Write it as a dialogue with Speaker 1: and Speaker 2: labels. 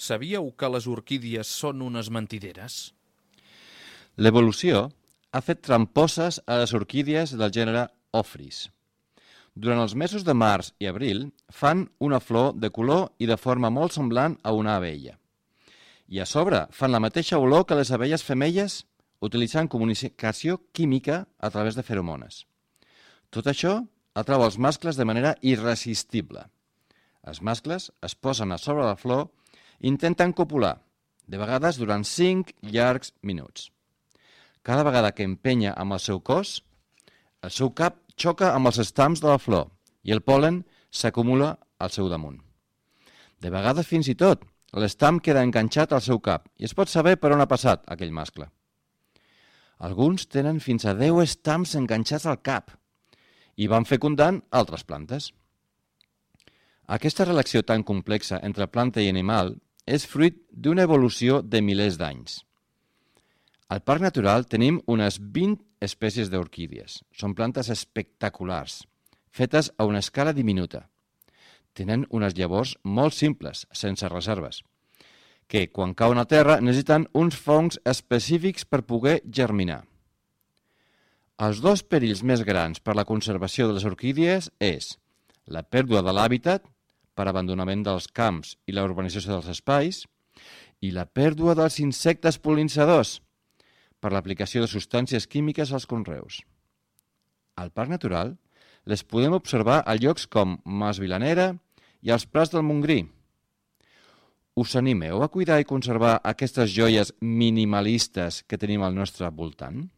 Speaker 1: Sabíeu que les orquídies són unes mentideres?
Speaker 2: L'evolució ha fet tramposes a les orquídies del gènere Ophrys. Durant els mesos de març i abril fan una flor de color i de forma molt semblant a una abella. I a sobre fan la mateixa olor que les abelles femelles utilitzant comunicació química a través de feromones. Tot això atrau els mascles de manera irresistible. Els mascles es posen a sobre la flor i intenten copular, de vegades durant 5 llargs minuts. Cada vegada que empenya amb el seu cos, el seu cap xoca amb els estams de la flor i el pol·len s'acumula al seu damunt. De vegades, fins i tot, l'estam queda enganxat al seu cap i es pot saber per on ha passat aquell mascle. Alguns tenen fins a 10 estams enganxats al cap i van fecundant altres plantes. Aquesta relació tan complexa entre planta i animal és fruit d'una evolució de milers d'anys. Al Parc Natural tenim unes 20 espècies d'orquídies. Són plantes espectaculars, fetes a una escala diminuta. Tenen unes llavors molt simples, sense reserves, que quan cauen a terra necessiten uns fongs específics per poder germinar. Els dos perills més grans per la conservació de les orquídies és la pèrdua de l'hàbitat per abandonament dels camps i la urbanització dels espais i la pèrdua dels insectes pol·linizadors per l'aplicació de substàncies químiques als conreus. Al Parc Natural les podem observar a llocs com Mas Vilanera i als Prats del Montgrí. Us animeu a cuidar i conservar aquestes joies minimalistes que tenim al nostre voltant?